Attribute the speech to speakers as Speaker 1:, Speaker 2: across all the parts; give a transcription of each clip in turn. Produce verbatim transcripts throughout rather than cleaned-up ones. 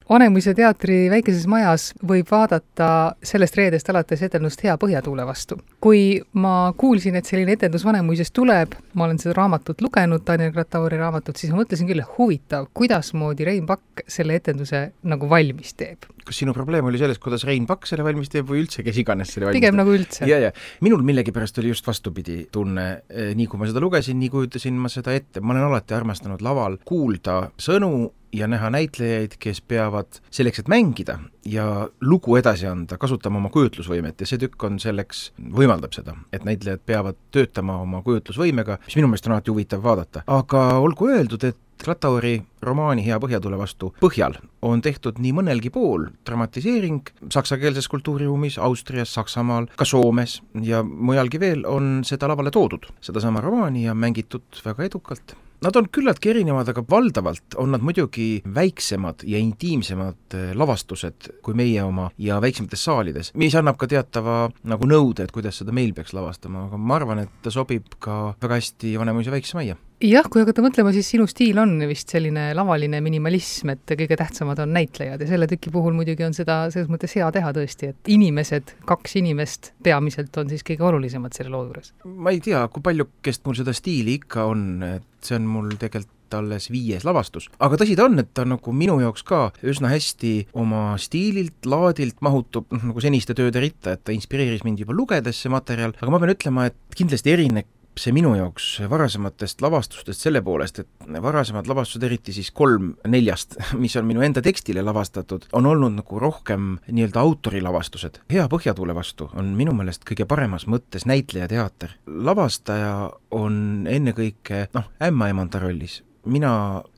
Speaker 1: Vanemuise teatri väikeses majas võib vaadata sellest reedest alates etendust Hea põhjatuule vastu. Kui ma kuulsin, et selline etendus Vanemuises tuleb, ma olen seda raamatut lugenud, Daniel Gratauri raamatut, siis ma mõtlesin küll, huvitav, kuidas moodi Rein Pakk selle etenduse nagu valmis teeb.
Speaker 2: Kas sinu probleem oli selles, kuidas Rein Pakk selle valmis teeb või üldse, kes iganes selle valmis
Speaker 1: Pigem
Speaker 2: teeb?
Speaker 1: nagu üldse.
Speaker 2: Ja, ja. Minul millegipärast oli just vastupidi tunne. Nii kui ma seda lugesin, nii kujutasin ma seda ette. Ma olen alati armastanud laval kuulda sõnu ja näha näitlejaid, kes peavad selleks, et mängida ja lugu edasi anda, kasutama oma kujutlusvõimet ja see tükk on selleks, võimaldab seda, et näitlejad peavad töötama oma kujutlusvõimega, mis minu meelest on alati huvitav vaadata. Aga olgu öeldud, et Gratauri romaani Hea põhjatule vastu põhjal on tehtud nii mõnelgi pool dramatiseering saksakeelses kultuuriruumis, Austrias, Saksamaal, ka Soomes ja mujalgi veel on seda lavale toodud. Seda sama romaani ja mängitud väga edukalt. Nad on küllaltki erinevad, aga valdavalt on nad muidugi väiksemad ja intiimsemad lavastused kui meie oma ja väiksemates saalides, mis annab ka teatava nagu nõude, et kuidas seda meil peaks lavastama, aga ma arvan, et ta sobib ka väga hästi Vanemuise väikse majja.
Speaker 1: Jah, kui hakata mõtlema, siis sinu stiil on vist selline lavaline minimalism, et kõige tähtsamad on näitlejad ja selle tüki puhul muidugi on seda selles mõttes hea teha tõesti, et inimesed, kaks inimest peamiselt on siis kõige olulisemad selle loo juures.
Speaker 2: Ma ei tea, kui palju kest mul seda stiili ikka on, et see on mul tegelikult alles viies lavastus. Aga tõsi ta on, et ta nagu minu jaoks ka üsna hästi oma stiililt, laadilt mahutub nagu seniste tööde ritta, et ta inspireeris mind juba lugedes see materjal, aga ma pean ütlema, et kindlasti erinek see minu jaoks varasematest lavastustest selle poolest, et varasemad lavastused, eriti siis kolm neljast, mis on minu enda tekstile lavastatud, on olnud nagu rohkem nii-öelda autorilavastused. Hea põhjatuule vastu on minu meelest kõige paremas mõttes näitlejateater. Lavastaja on ennekõike, noh, ämmaemanda rollis. Mina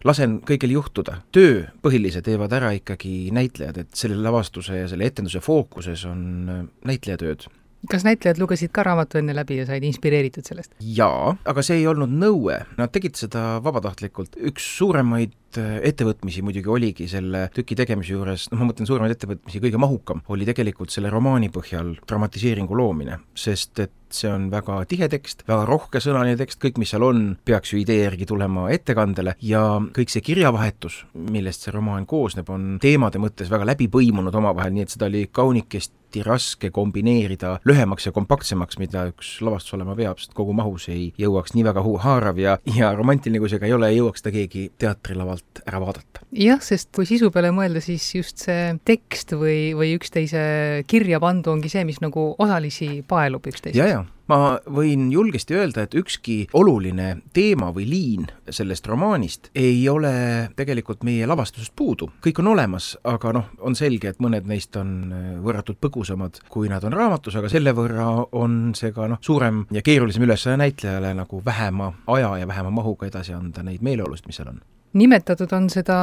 Speaker 2: lasen kõigil juhtuda. Töö põhilise teevad ära ikkagi näitlejad, et selle lavastuse ja selle etenduse fookuses on näitlejatööd.
Speaker 1: Kas näitlejad lugesid ka raamatu enne läbi ja said inspireeritud sellest?
Speaker 2: Jaa, aga see ei olnud nõue. Nad tegid seda vabatahtlikult. Üks suuremaid ettevõtmisi muidugi oligi selle tüki tegemise juures, noh ma mõtlen suuremaid ettevõtmisi, kõige mahukam oli tegelikult selle romaani põhjal dramatiseeringu loomine, sest et see on väga tihe tekst, väga rohkesõnaline tekst, kõik mis seal on, peaks ju idee järgi tulema ettekandele ja kõik see kirjavahetus, millest see romaan koosneb, on teemade mõttes väga läbi põimunud omavahel, nii et seda oli kaunikesti raske kombineerida lühemaks ja kompaktsemaks, mida üks lavastus olema peab, sest kogu mahus ei jõuaks nii väga haarav ja, ja romantiline kui see ka ei ole, ei jõuaks ta keegi teatrilavalt ära vaadata.
Speaker 1: Jah, sest kui sisu peale mõelda, siis just see tekst või, või üksteise kirja pandu ongi see, mis nagu osalisi paelub üksteisest.
Speaker 2: Ja, ja. Ma võin julgesti öelda, et ükski oluline teema või liin sellest romaanist ei ole tegelikult meie lavastusest puudu. Kõik on olemas, aga noh, on selge, et mõned neist on võrratult põgusamad, kui nad on raamatus, aga selle võrra on see ka noh, suurem ja keerulisem ülesanne näitlejale nagu vähema aja ja vähema mahuga edasi anda neid meeleolust, mis seal on.
Speaker 1: Nimetatud on seda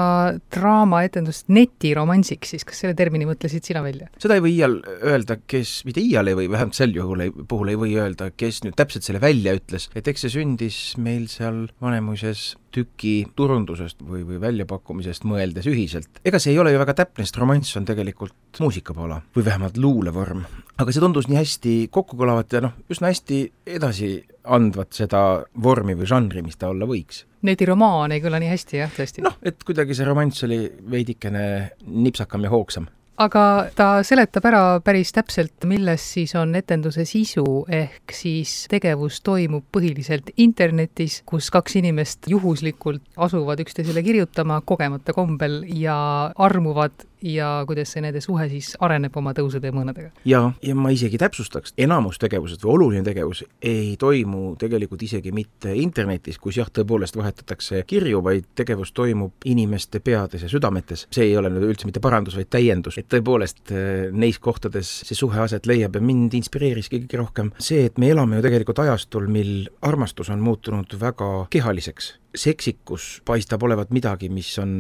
Speaker 1: draamaetendust netiromansiks, siis kas selle termini mõtlesid sina välja?
Speaker 2: Seda ei või iial öelda, kes, mitte iial ei või, vähemalt sel juhul ei, puhul ei või öelda, kes nüüd täpselt selle välja ütles, et eks see sündis meil seal Vanemuises tüki turundusest või, või väljapakkumisest mõeldes ühiselt. Ega see ei ole ju väga täpne, sest romanss on tegelikult muusikapala või vähemalt luulevorm. Aga see tundus nii hästi kokkukõlavat ja noh, üsna hästi edasi andvat seda vormi või žanri, mis ta olla võiks.
Speaker 1: Netiromaan ei kõla nii hästi, jah, tõesti.
Speaker 2: Noh, et kuidagi see romanss oli veidikene nipsakam ja hoogsam.
Speaker 1: Aga ta seletab ära päris täpselt, milles siis on etenduse sisu, ehk siis tegevus toimub põhiliselt internetis, kus kaks inimest juhuslikult asuvad üksteisele kirjutama kogemata kombel ja armuvad ja kuidas see nende suhe siis areneb oma tõusude ja mõõnadega.
Speaker 2: Ja, ja ma isegi täpsustaks, enamus tegevused või oluline tegevus ei toimu tegelikult isegi mitte internetis, kus jah, tõepoolest vahetatakse kirju, vaid tegevus toimub inimeste peades ja südametes. See ei ole nüüd üldse mitte parandus, vaid täiendus. Et tõepoolest neis kohtades see suhe aset leiab ja mind inspireeriski kõige rohkem see, et me elame ju tegelikult ajastul, mil armastus on muutunud väga kehaliseks. Seksikus paistab olevat midagi, mis on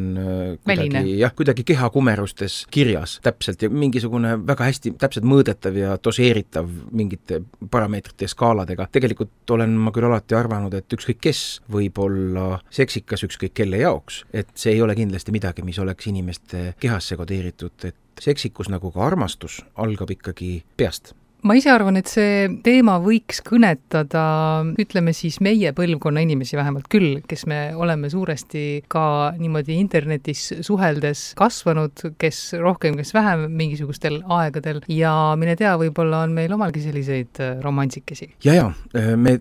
Speaker 2: kuidagi, jah, kuidagi kehakumerustes kirjas täpselt ja mingisugune väga hästi täpselt mõõdetav ja doseeritav mingite parameetrite ja skaaladega. Tegelikult olen ma küll alati arvanud, et ükskõik kes võib olla seksikas ükskõik kelle jaoks, et see ei ole kindlasti midagi, mis oleks inimeste kehasse kodeeritud, et seksikus nagu ka armastus algab ikkagi peast.
Speaker 1: ma ise arvan, et see teema võiks kõnetada, ütleme siis meie põlvkonna inimesi vähemalt küll, kes me oleme suuresti ka niimoodi internetis suheldes kasvanud, kes rohkem, kes vähem mingisugustel aegadel ja mine tea, võib-olla on meil omalgi selliseid romantsikesi.
Speaker 2: Ja, ja, me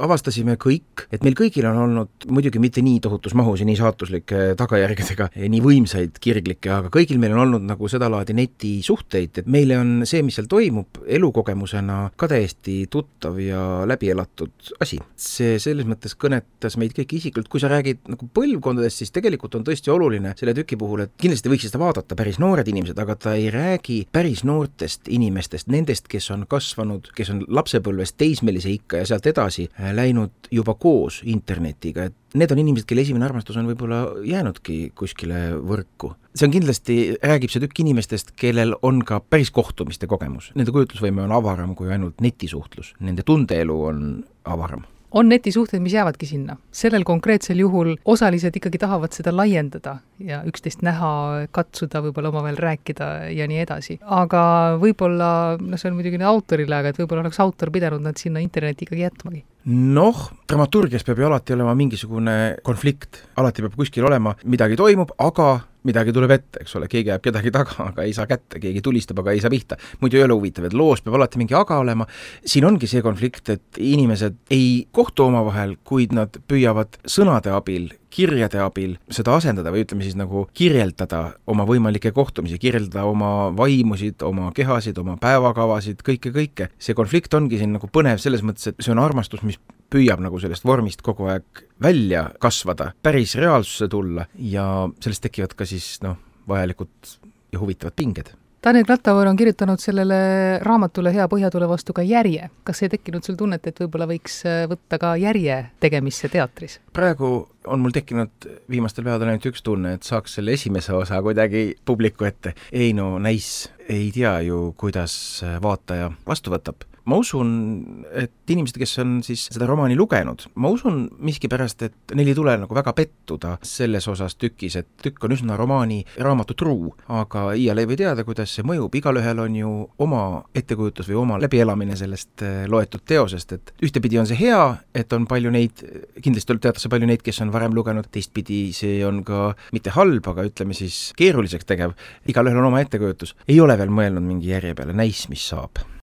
Speaker 2: avastasime kõik, et meil kõigil on olnud muidugi mitte nii tohutus mahus ja nii saatuslike tagajärgedega, nii võimsaid kirglikke, aga kõigil meil on olnud nagu sedalaadi netisuhteid, et meile on see, mis seal toimub, elukogemusena ka täiesti tuttav ja läbielatud asi. See selles mõttes kõnetas meid kõik isiklikult, kui sa räägid nagu põlvkondadest, siis tegelikult on tõesti oluline selle tüki puhul, et kindlasti võiks seda vaadata päris noored inimesed, aga ta ei räägi päris noortest inimestest, nendest, kes on kasvanud, kes on lapsepõlvest teismelise ikka ja sealt edasi läinud juba koos internetiga, et need on inimesed, kelle esimene armastus on võib-olla jäänudki kuskile võrku. See on kindlasti, räägib see tükk inimestest, kellel on ka päris kohtumiste kogemus. Nende kujutlusvõime on avaram kui ainult netisuhtlus. Nende tundeelu on avaram.
Speaker 1: On netisuhted, mis jäävadki sinna. Sellel konkreetsel juhul osalised ikkagi tahavad seda laiendada ja üksteist näha, katsuda, võib-olla omavahel rääkida ja nii edasi. Aga võib-olla, no see on muidugi autorile, aga et võib-olla oleks autor pidanud nad sinna interneti ikkagi jätmagi.
Speaker 2: Noh, dramaturgias peab ju alati olema mingisugune konflikt. Alati peab kuskil olema, midagi toimub, aga midagi tuleb ette, eks ole, keegi jääb kedagi taga, aga ei saa kätte, keegi tulistab, aga ei saa pihta. Muidu ei ole huvitav, et loos peab alati mingi aga olema. Siin ongi see konflikt, et inimesed ei kohtu omavahel, kuid nad püüavad sõnade abil, kirjade abil seda asendada või ütleme siis nagu kirjeldada oma võimalikke kohtumisi, kirjeldada oma vaimusid, oma kehasid, oma päevakavasid, kõike, kõike. See konflikt ongi siin nagu põnev selles mõttes, et see on armastus, mis püüab nagu sellest vormist kogu aeg välja kasvada, päris reaalsusse tulla ja sellest tekivad ka siis noh, vajalikud ja huvitavad pinged.
Speaker 1: Daniel Klattauer on kirjutanud sellele raamatule Hea põhjatule vastu ka järje. Kas ei tekkinud sul tunnet, et võib-olla võiks võtta ka järje tegemisse teatris?
Speaker 2: Praegu on mul tekkinud viimastel päevadel ainult üks tunne, et saaks selle esimese osa kuidagi publiku ette. Ei no, näis, ei tea ju, kuidas vaataja vastu võtab. Ma usun, et inimesed, kes on siis seda romaani lugenud, ma usun miskipärast, et neil ei tule nagu väga pettuda selles osas tükis, et tükk on üsna romaani raamatu truu, aga iial ei või teada, kuidas see mõjub. Igalühel on ju oma ettekujutus või oma läbielamine sellest loetud teosest, et ühtepidi on see hea, et on palju neid, kindlasti teatakse palju neid, kes on varem lugenud, teistpidi see on ka mitte halb, aga ütleme siis keeruliseks tegev. Igalühel on oma ettekujutus. Ei ole veel mõelnud mingi järje peale, näis, mis saab.